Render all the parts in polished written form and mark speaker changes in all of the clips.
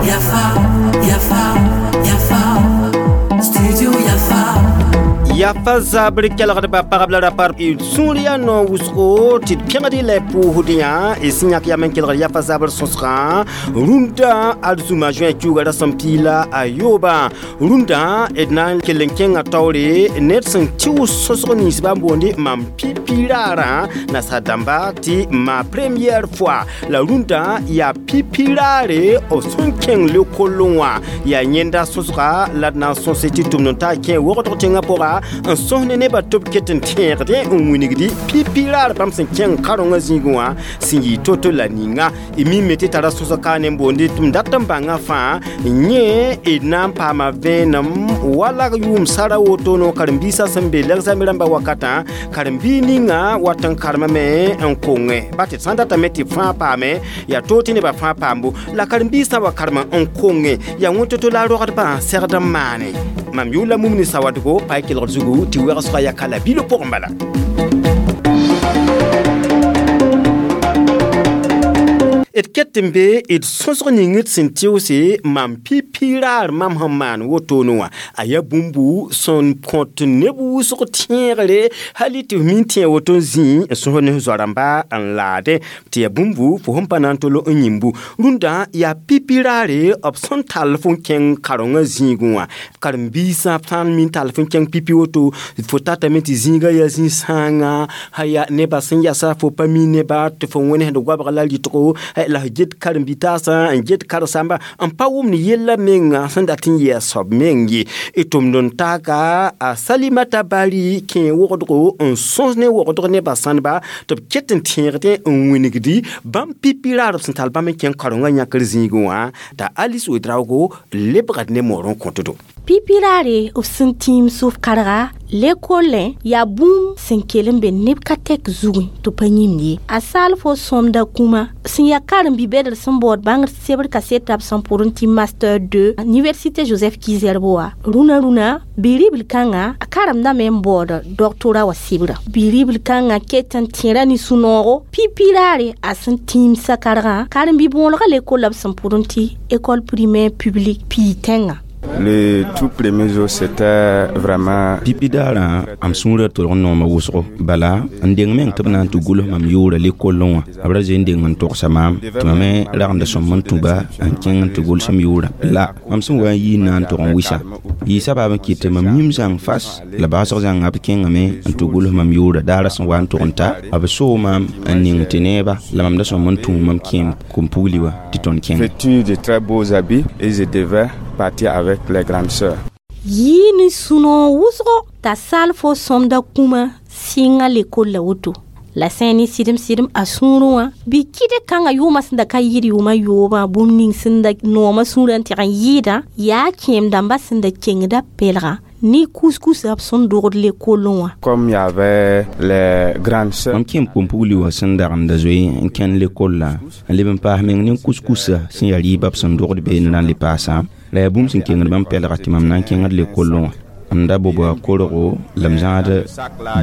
Speaker 1: Yafa, Yafa, Yafa, Studio Yafa.
Speaker 2: Yafa zabr kelgdbã pagb la rapa d sũur yaa noor wʋsgo tɩ d pẽgd y la y pʋʋsd yã y sẽn yãk yam n kelgd yafa zabr sõsgã rũndã arzũma zoẽ kiuga rasem piig la a yoobã rũndã d na n kell n kẽnga taoore ned sẽn tɩʋs sõsg nins bã n boonde mam pipi raarã nasaar dãmba tɩ ma première fois la rũndã yaa pipi raare b sẽn kẽng lekollẽ wã yaa yẽnda sõsga la d na n sõse tɩ tʋmd n taa kẽ wogdg tẽngã pʋga n sõs ne nebã tɩ b ket n tẽegdẽ n wilgdi pipi raar bãmb sẽn kẽng karengã zĩigẽ wã sẽn yɩ to-to la ninga y mime tɩ tara sõsg ka ne n boonde tɩ m dat n bãngã fãa yẽ d na n paama vẽenem wala yʋʋm sara woto no karen-biisã sẽn be lɛgzame rãmbã wakatã karen-biig ninga wat n karemame n konge ba tɩ d sã n datame tɩ b fãa paame yaa toog tɩ nebã fãa paambo la karen-biisã wa karema n konge yaa wẽn-to-to la rogdbã segd n maane mam yʋʋla mum ne sawadgo pa y kelgd zugu tɩ wegsga ya ka la bilo pʋgẽ bala. D ket n be d sõsg ning d sẽn tɩʋse mam pipi raar mam sẽn maan wotone wã a yaa bũmbu sẽn kõt neb wʋsg tẽegre hali tɩ f min tẽ woto n zĩ n sõs ne f zoa-rãmba n laadẽ tɩ yaa bũmbu fo sẽn pa na n tol n yĩmbu rũndã yaa pipi raare b sẽn tall fo n kẽng karengã zĩigẽ wã karen-biisã sã n min tall fo n kẽng pipi woto fo tatame tɩ zĩigã yaa zĩ-sãanga yaa nebã sẽn yasa fo pa mi neba tɩ fo wẽnesd goabg la rɩtgo la f get karen-bi-taasã n get karen-sãmba n pa wʋmd yella menga sẽn dat n yɩ a soab meng ye d tʋmd n taaka a Salimata Bari kẽ wogdgo n sõs ne wogdg nebã sãneba tɩ b ket n tẽegdẽ n wingdi bãmb pipi raar b sẽn tall bãmb n kẽng karengã yãkr zĩigẽ wã t'a Alice Ouedraogo lebgd ne moor n kõtdo.
Speaker 3: Pipi raare b sẽn tĩim sʋf karga lekolẽ yaa bũmb sẽn kell n be neb ka tɛk zugẽ tɩ pa yĩmd ye a saal fo sõmda kũma sẽn yaa karen-bi-bɛdr sẽn baood bãngr sebr kaseta b sẽn pʋrẽ tɩ master 2 université Joseph Ki-Zerbo wã rũnã rũnã bi-ribl kãngã a karemdame n baood doctorat wã sɩbrã bi-ribl kãngã ket n tẽra ne sũ-noogo pipi raare a sẽn tĩimsã kargã karen-bi-bõolgã lekolla b sẽn pʋrẽ tɩ école primaire publique pii tẽngã.
Speaker 4: Le tout premier jour, c'était vraiment.
Speaker 5: Pipi daarã am sũurã tolg n nooma wʋsgo bala n deng meng tɩ b na n tɩ gʋls mam yʋʋra lekollẽ wã b ra zoe n deng n togsa maam tɩ mam me ragenda sõm n tũba n kẽng n tɩ gʋls m yʋʋra la mam sẽn wa n yii n na n tog n wɩsa yɩɩsa baab n kɩt tɩ mam yĩm zãng fas la baasg zãnga b kẽngame n tɩ gʋls mam yʋʋra daara sẽn wa n tog n ta b soo maam n ning tɩ neeba la mam da sõm n tũ mam kẽem kom-pugli wã tɩ tõnd kẽnga.
Speaker 4: Vêtu de très beaux habits et je devais partir avec les grandes sœurs.
Speaker 3: Yɩ ne sũ-noog wʋsgo t'a sal fo sõmda kũma sɩnga lekolla woto la sẽn ne sɩdem sɩdem a sũurẽ wã bɩ kɩd kãngã yʋʋmã sẽn da ka yɩɩd yʋʋmã yoobã bũmb ning sẽn da noomã sũurã n tɩg n yɩɩdã yaa kẽem dãmbã sẽn da kengda pɛlgã ne kuskusã b sẽn dogd lekollẽ wã.
Speaker 4: Comme il y avait les grandes sœurs.
Speaker 5: Mam kẽem kom-pugli wã sẽn dagenda zoe n kẽnd lekollã n leb n paas meng ne kuskusã sẽn yaa rɩɩbã b sẽn dogd beene na n le paasã la yaa bũmb sẽn kengd bãmb pɛlga tɩ mam na n kẽngd lekollẽ wã m da boba korgo la m zãad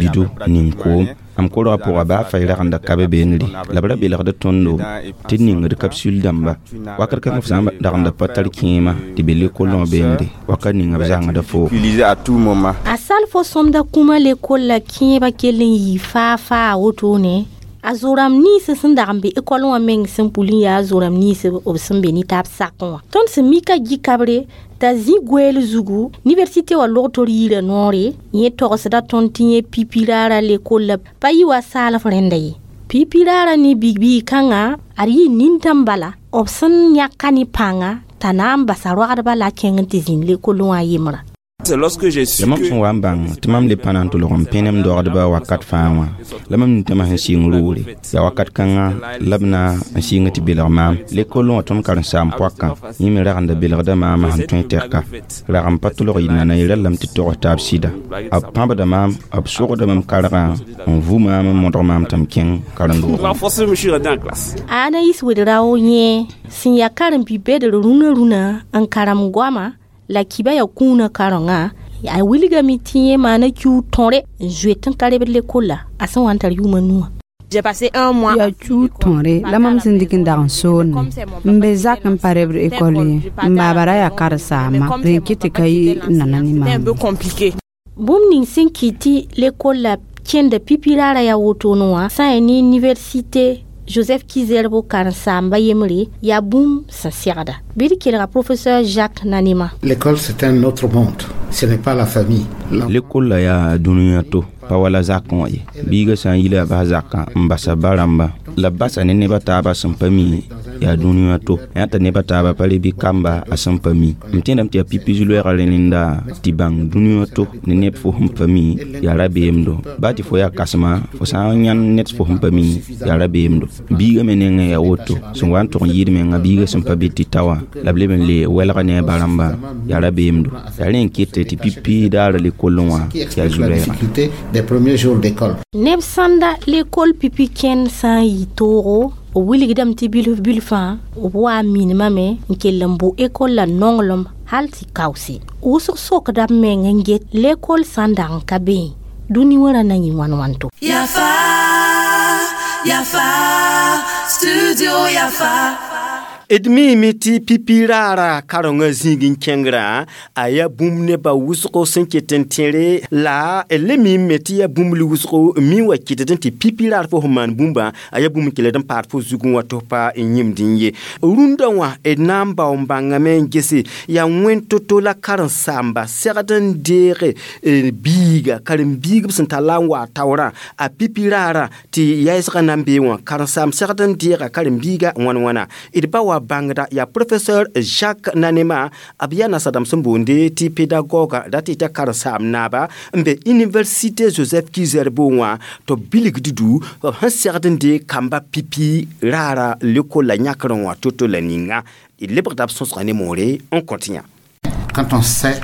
Speaker 5: bido ning koom am korgã pʋga baa fay ragenda ka be beenre la b ra belgd tõndo tɩ d ningd kapsul dãmba wakat kãngã f sã n dagenda pa tar kẽema tɩ be lekollẽ wã beenre wakat ninga b zãngda foo.
Speaker 4: Utiliser à tout moment.
Speaker 3: A sal fo sõmda kũma lekolla kẽebã kell n yɩ faa faa wotone a zoram nins sẽn dag n be ekɔl wã meng sẽn pul n yaa zoram nins b sẽn be ne taab sakẽ wã tõnd sẽn mika gikabre t'a zĩ goɛɛl zugu université wã log tor yiirã noore yẽ togsda tõnd tɩ yẽ pipi raarã lekolla pa yɩ wa saalf rẽnda ye pipi raarã ne biig kãngã ad yɩ nintãm bala b sẽn yãka ne pãnga t'a na n basa roagdbã la a kẽng n tɩ zĩnd lekollẽ wã yembrã.
Speaker 4: C'est lorsque j'ai su
Speaker 5: la mam sẽn wa n bãng tɩ mam le pa na n tʋlg n pẽnem dogdbã wakat fãa wã la mam nintãmã sẽn sɩng roore yaa wakat kãngã la b na n sɩng tɩ belg maam lekollẽ wã tõnd karen-saam poakã yẽ me ragenda belgda maamã sẽn tõe tɛka rag n pa tʋlg yɩ nana y rallame tɩ togs taab sɩda b pãbda maam b sogda mam kargã n vu maam n modg maam tɩ m kẽng karen-doogẽ.
Speaker 6: Renforcé, je suis rentré en classe.
Speaker 3: Anaïs Ouedraogo yẽ sẽn yaa karen-bi-bɛdr rũnã rũnã n karem goama la kiba yaa kũunã karengã a wilgame tɩ yẽ maana kiu tõre n zoet n ka rebd lekolla a sẽn wa n tar yʋʋmã nuwã.
Speaker 6: J'ai passé un mois.
Speaker 7: Yaa chuu tõore la mam sẽn dɩk n dag n soonẽ n be zak n pa rebd ekɔl ye n baaba ra yaa karen-saamba rẽ kɩ tɩ ka yɩ nana ne
Speaker 6: C'était un
Speaker 7: maam
Speaker 6: peu compliqué.
Speaker 3: Bũmb ning sẽn kɩt tɩ lekol la kẽnda pipi raara yaa wotone wã sã n yaa ne université Joseph Kizerbo karen-saamba yembre yaa bũmb sẽn segda bɩ d kelga professeur Jacques Nanema.
Speaker 8: L'école, c'est un autre monde. Ce n'est pas la famille.
Speaker 5: Lekol la yaa dũniyã to pa wala zakẽ wã ye biigã sã n yila bas zakã n basa ba rãmba la b basa ne neb a taabã sẽn pa mi yaa dũniyã to yã t'a neb a taabã pa le bɩ kamba a sẽn pa mi m tẽedame tɩ yaa pipi zu-loɛɛgã rẽnda tɩ bãng dũniyã to ne neb fo sẽn pa mi yaa rabeemdo baa tɩ fo yaa kãsema fo sã n yãnd ned fo sẽn pa mi yaa rabeemdo biigã me nengẽ yaa woto sẽn wa n tʋg n yɩɩd menga biigã sẽn pa be tɩ ta wã la b leb n le wɛlga ne a ba rãmba yaa rabeemdo yaa rẽ n kete tɩ pipi daara lekollẽ wã
Speaker 8: Qui
Speaker 5: yaa
Speaker 8: explique la
Speaker 5: zu-loɛɛga.
Speaker 8: difficulté des premiers jours d'école.
Speaker 3: Neb sãnda lekol pipi kẽnd sã n yɩ toogo b wilgdame tɩ bilf bilfã b wa n minimame n kell n bʋ ekol la nonglem hal tɩ kaoose wʋsg sokda b meng n get lekol sã n dag n ka beẽ dũni wã ra na yĩ wãn wãnto.
Speaker 1: Yafa, Yafa, Studio Yafa.
Speaker 2: D miime tɩ pipi raara karengã zĩig n kẽngrã a yaa bũmb nebã wʋsgo sẽn ket n tẽre la d le miime tɩ yaa bũmb wʋsgo n mi wa kɩtd n tɩ pipi raar fo sẽn maan bũmba a yaa bũmb n keled n paad fo zugẽ wã tɩ f pa n yĩmd n ye rũndã wã d na n bao n bãngame n gese yaa wẽn to-to la karen-saamba segd n deege biiga karen-biig b sẽn tar la n wa taoorã a pipi raarã tɩ yaɛsgã na n bee wã karen-saam segd n deega karen-biiga wãn-wãna d ba wa bãngda yaa professeur Jacques Nanema b yaa nasadãmb sẽn boonde tɩ pédagogue ra tɩ t'a karen-saam naaba n be université Joseph Kizerbo wã tɩ b bilgd du b sẽn segd n deeg kamba pipi raara lekol la yãkrẽ wã to-to la ninga d lebgda b sõsga ne moore n kõt yã.
Speaker 8: Quand on sait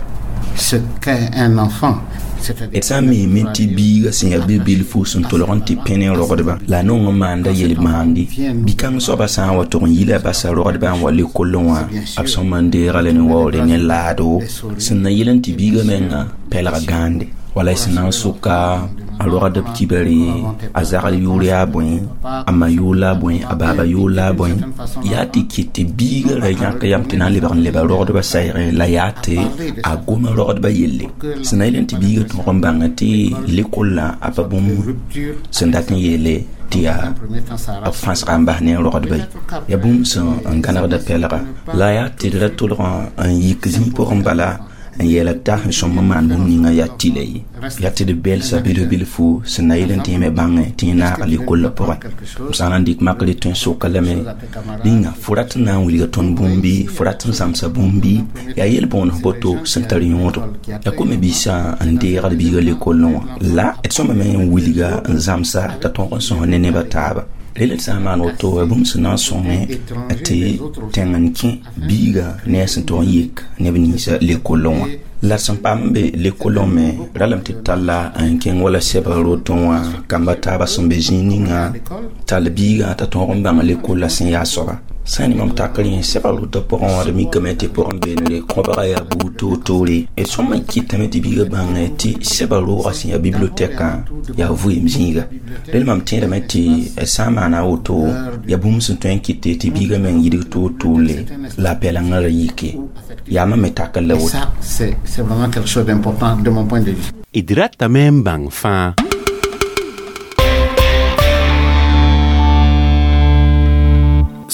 Speaker 8: ce qu'est un enfant,
Speaker 5: d sã n miime tɩ biigã sẽn yaa bi-bilfu sẽn tolg n tɩ pẽne rogdba la a nong n maanda yel-maande bi-kãng soabã sã n wa tʋg n yila basa rogdbã n wa lekollẽ wã b sõma n deega la ne waoore ne laado sẽn na yel n tɩ biigã menga pɛlg gãande wala y sẽn na n sʋka a rogd b kibare a zagl yʋʋr yaa bõe a ma yʋʋr la a bõe a baaba yʋʋr la a bõe yaa tɩ kɩt tɩ biigã ra yãk yam tɩ na n lebg n leba rogdbã sayge la yaa tɩ a goma rogdbã yelle sẽn na yel n tɩ biigã tõg n bãnga tɩ lekollã a pa bũmb sẽn dat n yeele tɩ yaa b fãsga n bas ne rogdba ye yaa bũmb sẽn n gãnegda pɛlga la yaa tɩ d ra tolg n yik zĩig pʋgẽ bala n yeela t'a sẽn sõm n maan bũmb ninga yaa tɩla ye yaa tɩ d belsa bilf bilfu sẽn na yel n tɩ yẽ me bãngẽ tɩ yẽ naaga lekollã pʋgẽ m sã n na n dɩk makre tõe n soka lame ninga fo rat n na n wilga tõnd bũmbi fo rat n zãmsa bũmbi yaa yel-bõoneg boto sẽn tar yõodo la kome biisã n deegd biigã lekollẽ wã la d sõma me n wilga n zãmsa t'a tõog n sõs ne nebã taaba rel d sã n maan woto yaa bũmb sẽn na n sõngẽ tɩ tẽng n kẽ biigã ne a sẽn tog n yek neb ninsã lekollẽ wã la sẽn paam n be lekollẽ me ralame tɩ talla n kẽng wala sɛbg rotõ wã kamba taabã sẽn be zĩig ninga tall biigã t'a tõog n bãng lekollã sẽn yaa soaba sã n ne mam takr yẽ sɛbg rotã pʋgẽ wã d mikame tɩ pʋgẽ beenre kõbga yaa buud toor-toore d sõma n kɩtame tɩ biigã bãngẽ tɩ sɛbg roogã sẽn yaa bibliotɛkã yaa vɩɩm zĩiga rel mam tẽedame tɩ sã n maana a woto yaa bũmb sẽn tõe n kɩte tɩ biigã meng yidg toor-toorle la a pɛlengã ra yike yaa mam me takr la
Speaker 8: Et
Speaker 5: woto.
Speaker 8: ça, c'est vraiment quelque chose d'important de mon point de vue.
Speaker 9: D ratame n bãng fãa.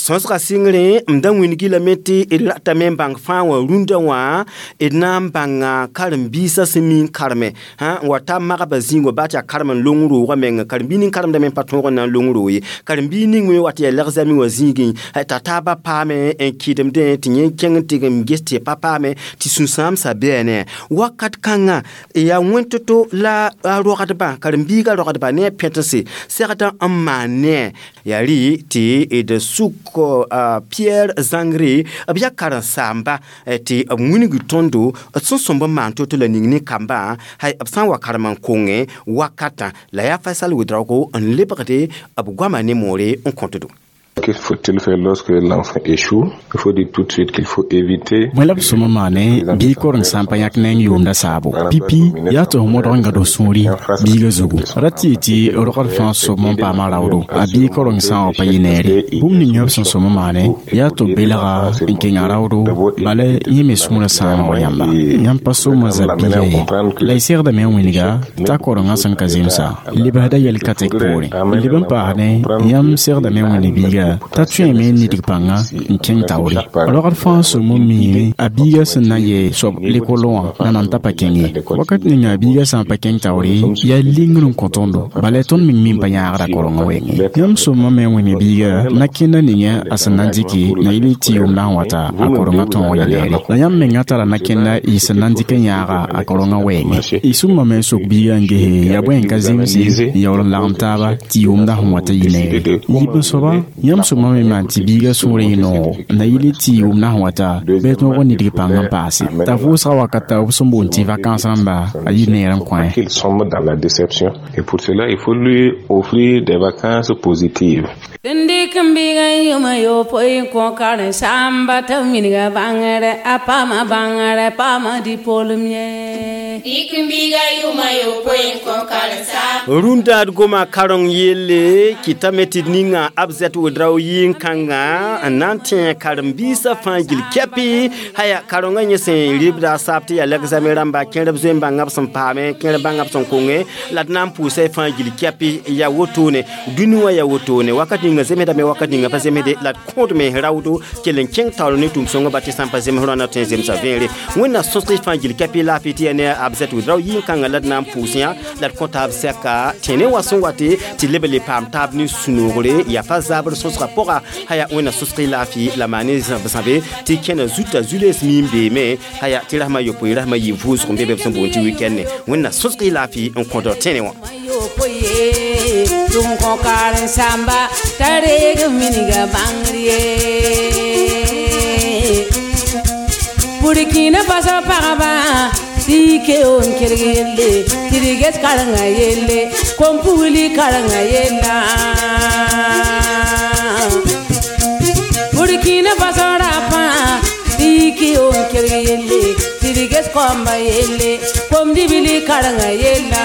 Speaker 2: Sõsga sɩngre m da wĩngi lame tɩ d ratame n bãng fãa wã rũndã wã d na n bãnga karen-biisã sẽn mi n kareme sã n wa ta magbã zĩig wã baa tɩ yaa karem n long roogã menga karen-biig ning karemdame n pa tõog n na n long roog ye karen-biig ning me wa tɩ yaa leg-zame wã zĩigẽ t'a taabã paame n kɩdemdẽ tɩ yẽ kẽng n tɩg n ges tɩ pa paame tɩ sũ-sãamsã bɩa ne wakat kãngã yaa wẽn to-to la a rogdbã karen-biigã rogdbã ne a pẽtense segdã n maan ne yaa rɩ tɩ d sʋk Pierre Zangre b yaa karen-saamba tɩ b wilg tõndo d sẽn sõmb n maan to-to la ning ne kambã hay b sã n wa karem n kongẽ wakatã la yaa Faisal Ouedraogo n lebgde b goama ne moore n kõtdo.
Speaker 4: Que
Speaker 6: Que faut-il faire lorsque l'enfant échoue? Il faut dire tout de suite qu'il faut éviter.
Speaker 10: Bõe la b sõma maane bɩ koreng sã n pa yãk neng yʋʋmda saabo pipi yaa tɩ f modg n gãd f sũuri biigã zugu ra tɩ tɩ rogd fãa sobm n paama raoodo a bii koreng sã n wa pa yɩ neere bũmb ning b sẽn sõma maane yaa tɩ b belga n kẽnga raoodo bala yẽ me sũurã sãamg yãmba yãmb pa somã zab biigã ye la y segdame n wilga t'a korengã sẽn ka zemsa lebsda yɛl-ka-tɛk poorẽ leb n paasdẽ yãmb segdame n wẽnd biiga t'a tõeme n nidg pãnga n kẽng taoore rogd fãa sõm n miime a biigã sẽn na n yɩ soab lekol wã la nan t'a pa kẽng ye wakat ninga a biigã sã n pa kẽng taoore yaa lingr n kõ tõndo bala tõnd meng mi n pa yãagda korengã wɛɛngẽ yãmb sõmame n wẽnd biiga na kẽnda ninga a sẽn na n dɩke na yɩl tɩ yʋʋmda sẽn wata a korengã tõog ya neere la yãmb mengã tara na kẽnda y sẽn na n dɩk n yãaga a korengã wɛɛngẽ y sũmame n sok biigã n gese yaa bõe n ka zemse n yaool n lagem taaba tɩ yʋʋmda sẽn wata yɩ neere yiib n soaba yãmb sõmame maan tɩ biigã sũurẽ yɩ noogo na yɩl tɩ yʋʋmda sẽn wata bɩ tõog n nidg pãng n paase t'a vʋʋsga wakata b sẽn boond tɩ vakãns rãmba a yɩ neer n kõ.
Speaker 6: Qu'il sombre dans la déception. Et pour cela, il faut lui offrir des vacances positives.
Speaker 7: Dɩk n biigã n yʋma yopoe n kõ karen-saamba t'a wilga bãngre a paama bãngre paama dipolem ye.
Speaker 11: Dɩk n biigã yʋma yopoe n kõ karen-saamba.
Speaker 2: Rũndad goma kareng yelle kɩtame tɩ d ninga Abzɛt Wedrao yɩn-kãngã n na n tẽ karen-biisã fãa gil kɛpɩ haya karengã yẽ sẽn rɩbda a saab tɩ yaa l'examen rãmba kẽrb zoe n bãnga b sẽn paame kẽrb bãnga b sẽn konge la d na n pʋʋsa fãa gil kɛpɩ yaa wotone dũni wã yaa wotone wakat ninga zemsdame wakat ninga pa zemsde la d kõodme raoodo kell n kẽng taoor ne tʋm-sõngã ba tɩ sã n pa zems rõanda tõe n zemsa vẽere wẽnna sõsg fãa gil kɛpɩ laafɩ tɩ yaa ne Abzɛt Wedrao yɩn-kãngã la d na n pʋʋs yã la d kõ taab sɛka tẽne wã sẽn wate tɩ leb n le paam taab ne sũ-noogre yaa pa zabr sõsgã pʋga haya wẽnna sõsg laafɩ la maane zãbe tɩ kẽna zuta zu-lees miim beeme haya tɩ rasmã yopoe rasmã yɩ vʋʋsg n be be b sẽn boond tɩ wikɛnde wẽnna sõsg laafɩ n kõdg tẽne wã.
Speaker 7: Tʋm kõ karen-saamba t'a reeg n minga bãngr ye. Burkina Faso pagba tɩ y keo n kelg yelle tɩ d ges karengã yelle kom-pugli karengã yella. Burkina Faso rapã tɩ y keo n kelg yelle tɩ d ges kɔmba yelle kom-dibli karengã yella.